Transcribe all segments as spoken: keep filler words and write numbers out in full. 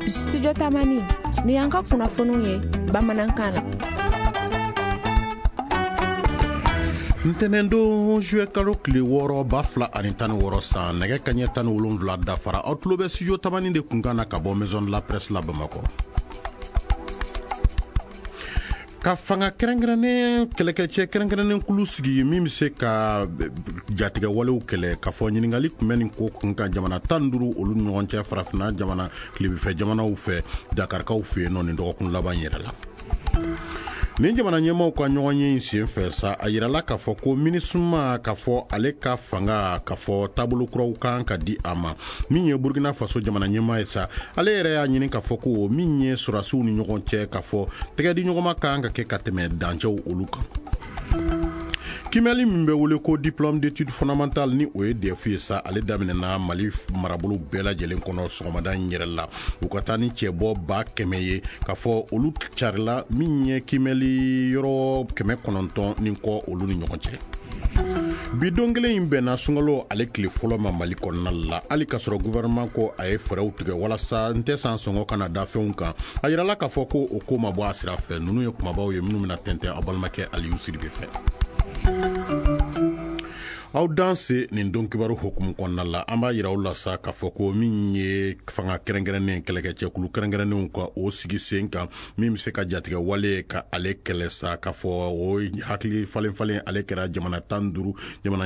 Studio Tamani ni y'an ka kunnafoniw ye bamanankan na. Ntɛnɛndon juillet kalo tile wɔɔrɔ ba fila ani tan ni wɔɔrɔ san nɛgɛ kaɲɛ tan ni wolonwula dafara aw tulo bɛ studio Tamani de kunkan na ka bɔ Maison de la Presse la Bamakɔ. Ka fanga kɛrɛnkɛrɛnnen kɛlɛkɛcɛ kɛrɛnkɛrɛnnen kulu sigi min bɛ se ka jatigɛ walew kɛlɛ k'a fɔ ɲininkali tun bɛ nin ko kun kan jamana tan duuru olu ni ɲɔgɔn cɛ farafinna jamana tilebinfɛ jamanaw fɛ Dakarikaw fɛ yen nɔ nin dɔgɔkun laban yɛrɛ la. Nin jamana ɲɛmaaw ka ɲɔgɔn ye in sen fɛ sa a yirala k'a fɔ ko MINUSMA k'a fɔ ale ka fanga k'a fɔ taabolo kuraw kan ka di a ma. Min ye Burkina Faso jamana ɲɛmaa ye sa ale yɛrɛ y'a ɲini k'a fɔ ko min ye sɔrɔdasiw ni ɲɔgɔn cɛ k'a fɔ tɛgɛdi ɲɔgɔnma kan ka kɛ ka tɛmɛ dancɛw olu kan. Kimɛli min bɛ wele ko diplôme d'études fondamentales ni o ye D E F ye sa ale daminɛna Mali marabolo bɛɛ lajɛlen kɔnɔ sɔgɔmada in yɛrɛ la. U ka taa ni cɛbɔ ba kɛmɛ ye k'a fɔ olu carila min ye kimɛli yɔrɔ kɛmɛ kɔnɔntɔn ni kɔ olu ni ɲɔgɔn cɛ. Bi don kelen in bɛnna sunkalo ale tile fɔlɔ ma Mali kɔnɔna la hali k'a sɔrɔ gouvernement ko a ye fɛɛrɛw tigɛ walasa n tɛ san sɔngɔ kana da fɛnw kan. A yirala k'a fɔ ko o ko ma bɔ a sira fɛ. Ninnu ye kumabaw ye minnu bɛna tɛntɛn aw balimakɛ Aliyu Sidibe fɛ. Aw danse nin don kibaru hukumu kɔnɔna la an b'a yira aw la sa k'a fɔ ko min ye fanga kɛrɛnkɛrɛnnen kɛlɛkɛcɛkulu kɛrɛnkɛrɛnnenw ka o sigi sen kan min bɛ se ka jatigɛ wale ka ale kɛlɛ sa k'a fɔ o hakili falen falen ale kɛra jamana tan duuru jamana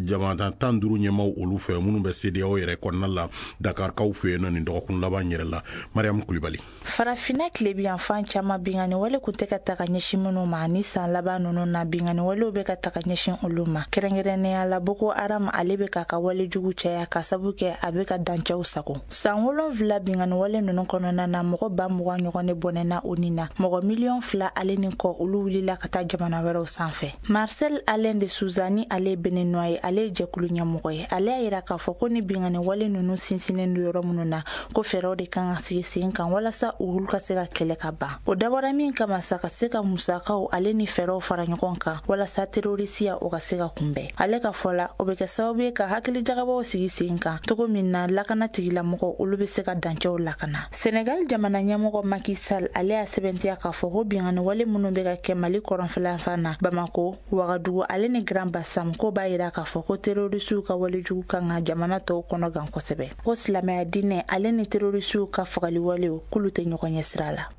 jamana tan duuru ɲɛmaaw olu fɛ minnu bɛ CEDEAO yɛrɛ kɔnɔna la Dakarikaw fɛ yen nɔ nin dɔgɔkun laban yɛrɛ la. Mariam Kulibali. Farafinna tilebiyanfan caman binkanni wale kun tɛ ka taga ɲɛsin minnu ma ni san laban ninnu na binkanni walew bɛ ka taga ɲɛsin olu ma kɛrɛnkɛrɛnnenya la Boko Haram ale bɛ k'a ka wale jugu caya ka sabu kɛ a bɛ ka dancɛw sago. San wolonwula binkanni wale ninnu kɔnɔna na mɔgɔ ba mugan ɲɔgɔn de bɔnɛna o ni na mɔgɔ miliyɔn fila ale ni kɔ olu wulila ka taa jamana wɛrɛw sanfɛ. Marcel Alain de Souza ni ale ye Beninois ye ale ye jɛkulu ɲɛmɔgɔ ye ale y'a yira k'a fɔ ko ni binkanni wale ninnu sinsinnen don yɔrɔ minnu na ko fɛɛrɛw de kan ka sigi sen kan walasa olu ka se ka kɛlɛ ka ban. O dabɔra min kama sa ka se ka musakaw ale ni fɛɛrɛw fara ɲɔgɔn kan walasa terorisiya o ka se ka kunbɛn. Ale ka fɔ la o bɛ kɛ sababu ye ka hakili jagabɔw sigi sen kan cogo min na lakana tigilamɔgɔw olu bɛ se ka dancɛw lakana. Senegal jamana ɲɛmɔgɔ Macky Sall ale y'a sɛbɛntiya k'a fɔ ko binkanni wale minnu bɛ ka kɛ Mali kɔrɔnfɛla na Bamako, Wagadugu ale ni Grand Bassam ko b'a yira k'a fɔ ko terorisiw ka walejugu kan ka jamana tɔw kɔnɔ gan kosɛbɛ. Ko silamɛya diinɛ ale ni terorisiw ka fagali walew k'olu tɛ ɲɔgɔn ɲɛ sira la.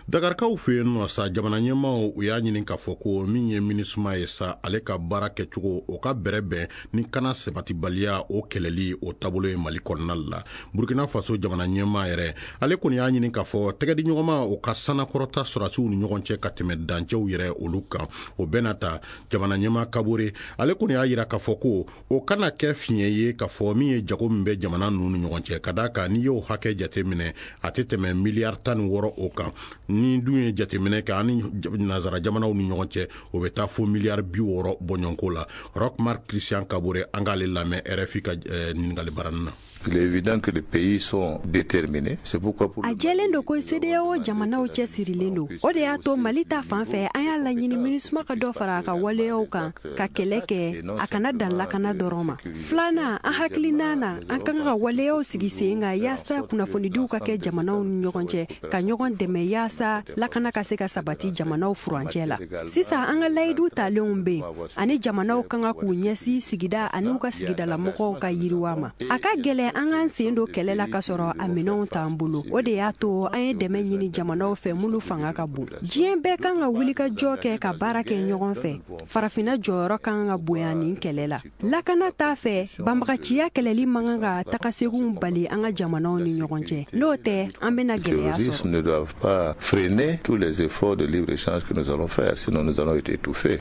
Dakarikaw fɛ yen nɔ sa jamana ɲɛmaaw u y'a ɲini k'a fɔ ko min ye MINUSMA ye sa ale ka baara kɛcogo o ka bɛrɛ bɛn ni kana sabatibaliya o kɛlɛli o taabolo ye Mali kɔnɔna la. Burkina Faso jamana ɲɛmaa yɛrɛ ale kɔni y'a ɲini k'a fɔ tɛgɛdi ɲɔgɔnma o ka sanakɔrɔta sɔrɔdasiw ni ɲɔgɔn cɛ ka tɛmɛ dancɛw yɛrɛ olu kan. O bɛɛ n'a ta jamana ɲɛmaa Kabore ale kɔni y'a yira k'a fɔ ko o kana kɛ fiɲɛ ye k'a fɔ min ye jago min bɛ jamana ninnu ni ɲɔgɔn cɛ ka d'a kan n'i y'o hakɛ jateminɛ a tɛ tɛmɛ miliyari tan ni wɔɔrɔ o kan. Ni dun ye jateminɛ kɛ ani nazara jamanaw ni ɲɔgɔn cɛ o bɛ taa fo miliyari bi wɔɔrɔ bɔɲɔgɔnko la. Roch Marc Christian Kabore an k'ale lamɛn R F I ka ɲininkali baranin na. Il est évident que les pays sont déterminés. C'est pourquoi pour A jɛlen don ko CEDEAO jamanaw cɛsirilen don. O de y'a to Mali ta fan fɛ an y'a laɲini MINUSMA ka dɔ fara a ka waleyaw kan ka kɛlɛ kɛ a kana dan lakana dɔrɔn ma. Filanan an hakilina na an kan ka waleyaw sigi sen kan yaasa kunnafonidiw ka kɛ jamanaw ni ɲɔgɔn cɛ ka ɲɔgɔn dɛmɛ yaasa lakana ka se ka sabati jamanaw furancɛ la. Sisan an ka layidu talenw bɛ yen ani jamanaw kan ka k'u ɲɛsin sigida ani u ka sigidalamɔgɔw ka yiriwa ma. A ka gɛlɛn an k'an sen don kɛlɛ la k'a sɔrɔ a minɛnw t'an bolo. O de y'a to an ye dɛmɛ ɲini jamanaw fɛ minnu fanga ka bon. Diɲɛ bɛɛ kan ka wuli ka jɔ kɛ ka baara kɛ ɲɔgɔn fɛ. Farafinna jɔyɔrɔ kan ka bonya nin kɛlɛ la. Lakana t'a fɛ banbagaciya kɛlɛli man kan ka tagaseginw bali an ka jamanaw ni ɲɔgɔn cɛ. N'o tɛ an bɛna gɛlɛya sɔrɔ. Ne doivent pas freiner tous les efforts de libre-échange que nous allons faire, sinon nous allons être étouffés.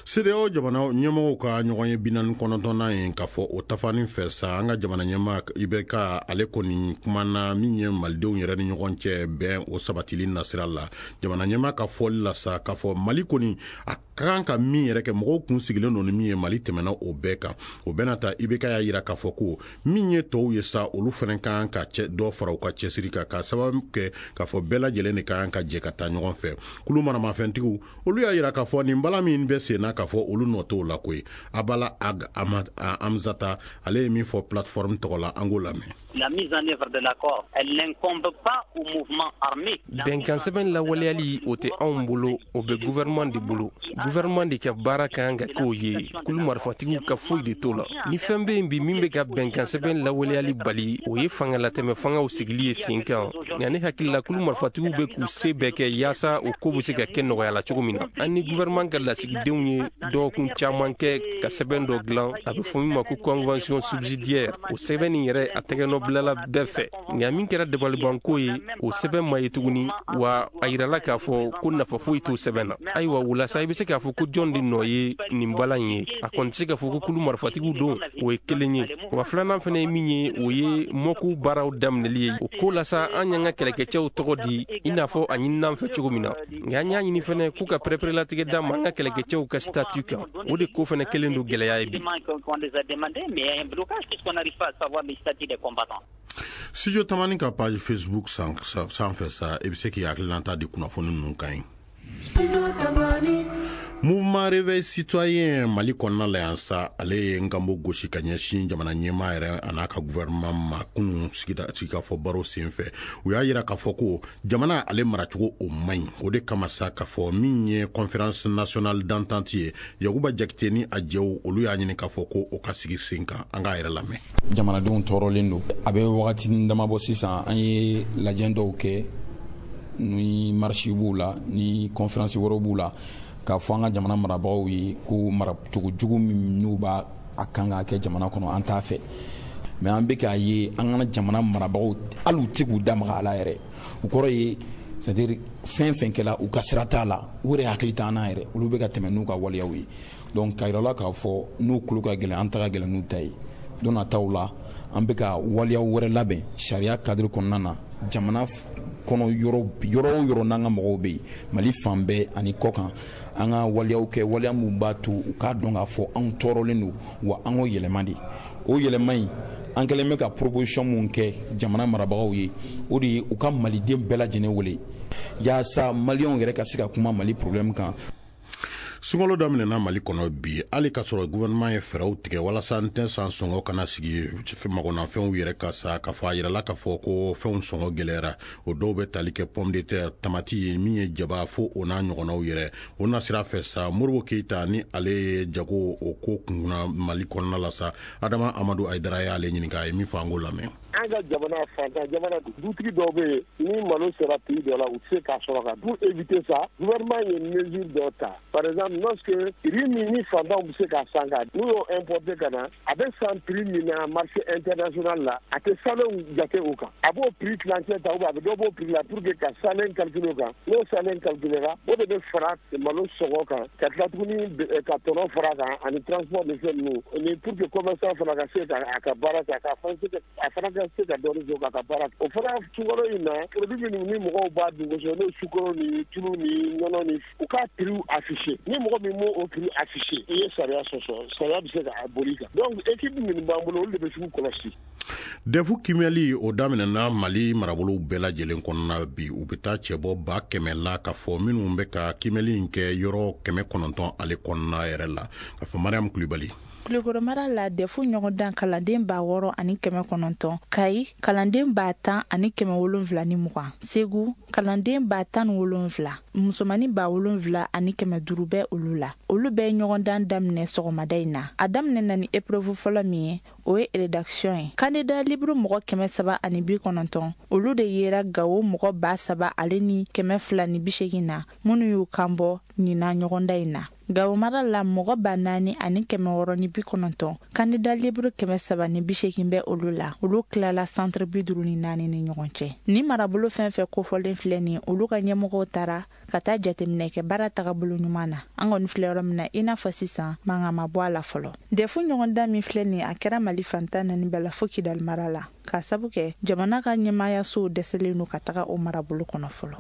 CEDEAO jamana ɲɛmɔgɔw ka ɲɔgɔn ye bi naani kɔnɔntɔnnan ye k'a fɔ o tafani fɛ sa an ka jamana ɲɛmaa I B K ale kɔni kumana min ye malidenw yɛrɛ ni ɲɔgɔn cɛ bɛn o sabatili nasira la. Jamana ɲɛmaa ka fɔli la sa k'a fɔ Mali kɔni a ka kan ka min yɛrɛ kɛ mɔgɔw kun sigilen don ni min ye Mali tɛmɛna o bɛɛ kan. O bɛɛ n'a ta I B K y'a yira k'a fɔ ko min ye tɔw ye sa olu fana kan ka cɛ dɔ fara u ka cɛsiri kan k'a sababu kɛ k'a fɔ bɛɛ lajɛlen de kan ka jɛ ka taa ɲɔgɔn fɛ. Kulu maramafɛntigiw olu y'a yira k'a fɔ nin bala min bɛ sen na k'a fɔ olu nɔ t'o la koyi. Abala Ag Amzata, ale ye min fɔ plateforme tɔgɔ la, an k'o lamɛn. La mise en œuvre de l'accord, elle n'incombe pas au mouvement armé. Bɛnkan sɛbɛn lawaleyali, o tɛ anw bolo, o bɛ gouvernement de bolo. Gouvernement de ka baara ka kan ka k'o ye, kulu marifatigiw ka foyi de t'o la. Ni fɛn bɛ yen bi min bɛ ka bɛnkan sɛbɛn lawaleyali bali, o ye fangalatɛmɛ fangaw sigili ye sen kan. Nka ne hakili la, kulu marifatigiw bɛ k'u se bɛɛ kɛ yaasa o ko bɛ se ka kɛ nɔgɔya la cogo min na. An ni gouvernement ka lasigidenw ye dɔgɔkun caman kɛ ka sɛbɛn dɔ dilan, a bɛ fɔ min ma ko convention subsidiaire. O sɛbɛn nin yɛrɛ, a tɛgɛnɔ bilala bɛɛ fɛ. Nka min kɛra dabalibanko ye, o sɛbɛn ma ye tuguni, wa a yirala k'a fɔ ko nafa foyi t'o sɛbɛn na. Ayiwa, o la sa, i bɛ se k'a fɔ ko jɔn de nɔ ye nin balan in ye? A kɔni tɛ se k'a fɔ ko kulu marifatigiw don, o ye kelen ye. Wa filanan fana ye min ye, o ye mɔkuw baaraw daminɛli ye. O ko la sa, an y'an ka kɛlɛkɛcɛw tɔgɔ di i n'a fɔ a ɲinin'an fɛ cogo min na. Nka an y'a ɲini fɛnɛ k'u ka pɛrɛpɛrɛlatigɛ d'an ma an ka kɛlɛkɛcɛw ka statut kan. O de ko fɛnɛ kelen don gɛlɛya ye bi. Studio Tamani ka page Facebook sanfɛ sa, i bɛ se k'i hakilinata di kunnafoni ninnu kan ye. Mouvement Réveil Citoyen Mali kɔnɔna la yan sa, ale ye nkanbo gosi ka ɲɛsin jamana ɲɛmaa yɛrɛ a n'a ka gouvernement ma kunun sigikafɔ baro senfɛ. U y'a yira k'a fɔ ko jamana ale maracogo o man ɲi. O de kama sa, k'a fɔ min ye conférence nationale d'entente ye, Yakuba Jakite ni a jɛw, olu y'a ɲini k'a fɔ ko o ka sigi sen kan. An k'a yɛrɛ lamɛn. Jamanadenw tɔɔrɔlen don. A bɛ wagatinin dama bɔ sisan, an ye lajɛ dɔw kɛ, ni marche b'u la, ni conférence wɛrɛw b'u la, k'a fɔ an ka jamana marabagaw ye ko maracogo jugu min n'u b'a a kan k'a kɛ jamana kɔnɔ, an t'a fɛ. Mais an bɛ k'a ye an ka jamana marabagaw, hali u tɛ k'u da maga a la yɛrɛ. O kɔrɔ ye, c'est à dire fɛn fɛn kɛla, u ka sira t'a la, u yɛrɛ hakili t'an na yɛrɛ, olu bɛ ka tɛmɛ n'u ka waleyaw ye. Donc k'a yira la k'a fɔ n'u tulo ka gɛlɛn, an ta ka gɛlɛn n'u ta ye. Don nataw la, an bɛ ka waleyaw wɛrɛ labɛn sariya cadre kɔnɔna na, jamana kɔnɔ yɔrɔ yɔrɔ o yɔrɔ n'an ka mɔgɔw bɛ yen, Mali fan bɛɛ ani kɔkan, an ka waleyaw kɛ, waleya min b'a to u k'a dɔn k'a fɔ anw tɔɔrɔlen don, wa an k'o yɛlɛma de. O yɛlɛma in, an kɛlen bɛ ka proposition mun kɛ jamana marabagaw ye, o de ye u ka maliden bɛɛ lajɛlen wele yaasa maliyɛnw yɛrɛ ka se ka kuma Mali problème kan. Sunkalo daminɛna Mali kɔnɔ bi, hali k'a sɔrɔ gouvernement ye fɛɛrɛw tigɛ walasa n tɛ san sɔngɔ kana sigi magonafɛnw yɛrɛ ka sa, k'a fɔ a yirala k'a fɔ ko fɛnw sɔngɔ gɛlɛyara. O dɔw bɛ tali kɛ pomme de terre, tamati ye min ye jaba, fo o n'a ɲɔgɔnnaw yɛrɛ. O na sira fɛ sa, Moribo Keyita ni ale ye jago o ko kunna Mali kɔnɔna la sa, Adama Amadu Ayidara y'ale ɲininka, a ye min fɔ, an k'o lamɛn. An ka jamana fantan jamana, dutigi dɔw bɛ yen, ni malo sera prix dɔ la, u tɛ se k'a sɔrɔ ka pour éviter ça, gouvernement ye mesure dɔ ta. Par exemple, lorsque riz min ni fantanw bɛ se k'a san ka n'u y'o importer ka na, a bɛ san prix min na marché international la, a tɛ salenw jate o kan. A b'o prix tilancɛ ta ou bien a bɛ dɔ b'o prix la pour que ka salen calculer o kan. N'o salen calculer la, o de bɛ fara malo sɔngɔ kan, ka tila tuguni ka tɔnɔ fara kan ani transport ni fɛn ninnu, ni pour que commerçant fana ka se ka a ka baara kɛ, a ka fana se ka a fana ka se ka dɔɔnin sɔrɔ k'a ka baara kɛ. O fana sukaro in na, produit minnu ni mɔgɔw b'a dun kosɛbɛ, n'o ye sukaro ni tulu ni nɔnɔ ni, u k'a prix afficher. Ni mɔgɔ min m'o o prix afficher, i ye sariya sɔsɔ, sariya bɛ se ka boli kan. Donc équipe minnu b'an bolo, olu de bɛ sugu kɔlɔsi. Dɛfu kimɛli o daminɛna Mali marabolow bɛɛ lajɛlen kɔnɔna bi. U bɛ taa cɛbɔ ba kɛmɛ la, k'a fɔ minnu bɛ ka kimɛli in kɛ yɔrɔ kɛmɛ kɔnɔntɔn ale kɔnɔna yɛrɛ la, k'a fɔ Mariam Kulibali. Kulukoro mara la, dɛfu ɲɔgɔndan kalanden ba wɔɔrɔ ani kɛmɛ kɔnɔntɔn, Kayi kalanden ba tan ani kɛmɛ wolonfila ni mugan, Segu kalanden ba tan ni wolonfila, musomanin ba wolonfila ani kɛmɛ duuru bɛ olu la. Olu bɛɛ ɲɔgɔndan daminɛ sɔgɔmada in na. A daminɛ na ni épreuve fɔlɔ min ye, o ye rédaction ye. Candidat libre mɔgɔ kɛmɛ saba ani bi kɔnɔntɔn, olu de yera Gawo mɔgɔ ba saba ale ni kɛmɛ fila ni bi seegin na, minnu y'u kan bɔ nin na ɲɔgɔndan in na. Gawo mara la, mɔgɔ ba naani ani kɛmɛ wɔɔrɔ ni bi kɔnɔntɔn, candidat libre kɛmɛ saba ni bi seegin bɛ olu la. Olu tilala centre bi duuru ni naani ni ɲɔgɔn cɛ. Ni marabolo fɛn fɛn kofɔlen filɛ nin, olu ka ɲɛmɔgɔw taara ka taa jateminɛ kɛ baara tagabolo ɲuman na. An kɔni filɛ yɔrɔ min na, i n'a fɔ sisan, mankan ma bɔ a la fɔlɔ. Dɛfu ɲɔgɔndan min filɛ nin, a kɛra Mali fantan naani bɛɛ la fo Kidali mara la, k'a sabu kɛ jamana ka ɲɛmaayasow dɛsɛlen don ka taga o marabolo kɔnɔ fɔlɔ.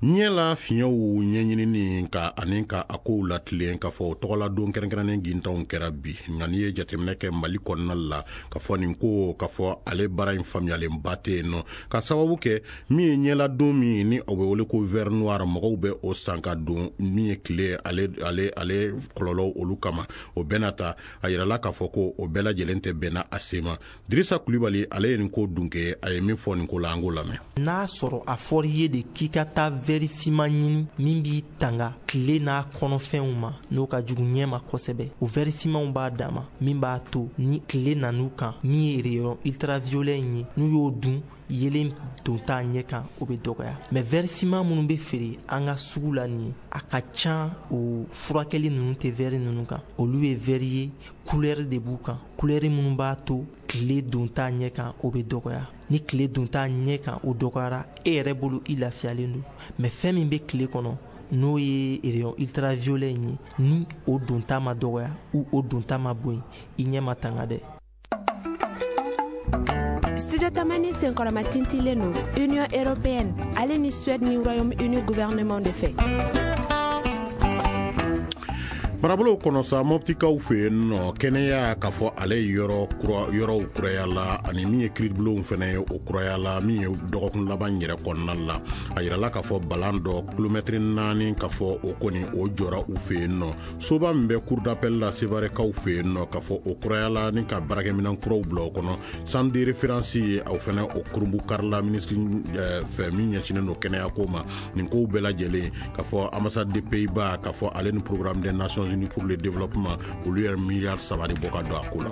Ɲɛ la fiɲɛw ɲɛɲinini ka ani ka a kow latilen k'a fɔ o tɔgɔla don kɛrɛnkɛrɛnnen gintanw kɛra bi. Nka n'i ye jateminɛ kɛ Mali kɔnɔna la, k'a fɔ nin ko k'a fɔ ale baara in faamuyalenba tɛ yen nɔ, ka sababu kɛ min ye ɲɛla don min ni o bɛ wele ko verre noir, mɔgɔw bɛ o san ka don min ye tile ale ale ale kɔlɔlɔw olu kama. O bɛɛ n'a ta, a yirala k'a fɔ ko o bɛɛ lajɛlen tɛ bɛnna a sen ma. Dirisa Kulibali ale ye nin ko dunke, a ye min fɔ nin ko la, an k'o lamɛn. N'a sɔrɔ a fɔr'i ye de k'i ka taa verre finman ɲini min b'i tanga tile n'a kɔnɔfɛnw ma, n'o ka jugu ɲɛ ma kosɛbɛ, o verre finmanw b'a dama min b'a to ni tile nan'u kan, min ye rayon ultraviolet in ye, n'u y'o dun yelen don t'a ɲɛ kan, o bɛ dɔgɔya. Mais verre finman minnu bɛ feere an ka sugu la nin ye, a ka ca o furakɛli ninnu tɛ verre ninnu kan. Olu ye verre ye, couleur de b'u kan, couleur minnu b'a to tile don t'a ɲɛ kan, o bɛ dɔgɔya. Ni tile don t'a ɲɛ kan o dɔgɔyara, e yɛrɛ bolo i lafiyalen don. Mais fɛn min bɛ tile kɔnɔ, n'o ye rayon ultraviolet in ye, ni o don ta ma dɔgɔya ou o don ta ma bɔ yen, i ɲɛ ma tanga dɛ. Studio Tamani senkɔrɔma tintilen don Union européenne ale ni Suède ni Royaume-Uni gouvernement de fɛ. Marabolo kɔnɔ sa, Mɔptikaw fɛ yen nɔ, kɛnɛya k'a fɔ ale ye yɔrɔ kura yɔrɔw kuraya la, ani min ye kiiribulonw fana ye o kuraya la, min ye dɔgɔkun laban yɛrɛ kɔnɔna la. A yirala k'a fɔ balan dɔ kilomɛtiri naani k'a fɔ o kɔni o jɔra u fɛ yen nɔ. Soba min bɛ cour d'appel la Sevarekaw fɛ yen nɔ, k'a fɔ o kuraya la ni ka baarakɛminɛn kuraw bila o kɔnɔ. Centre de référence ye aw fana o kurunbu karila minisiri fɛ min ɲɛsinnen don kɛnɛya ko ma. Nin kow bɛɛ lajɛlen k'a fɔ ambassade des Pays-Bas k'a fɔ ale ni programme des Nations Unies pour le développement olu yɛrɛ miliyari saba de bɔ ka don a ko la.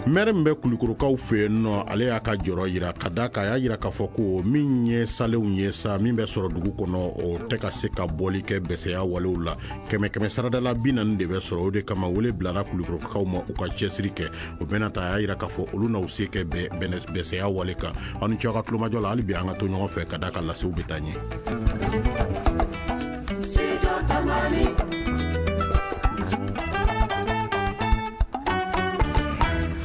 Maire min bɛ Kulukorokaw fɛ yen nɔ, ale y'a ka jɔrɔ yira ka da kan, a y'a yira k'a fɔ ko min ye salenw ye sa, min bɛ sɔrɔ dugu kɔnɔ, o tɛ ka se ka bɔli kɛ bɛsɛya walew la. Kɛmɛ kɛmɛ saradala bi naani de bɛ sɔrɔ, o de kama wele bilara Kulukorokaw ma u ka cɛsiri kɛ. O bɛna ta, a y'a yira k'a fɔ olu n'aw se kɛ bɛsɛya wale kan. Aw ni ce aw ka tulomajɔ la, hali bi an ka to ɲɔgɔn fɛ ka da kan lasew bɛ taa ɲɛ.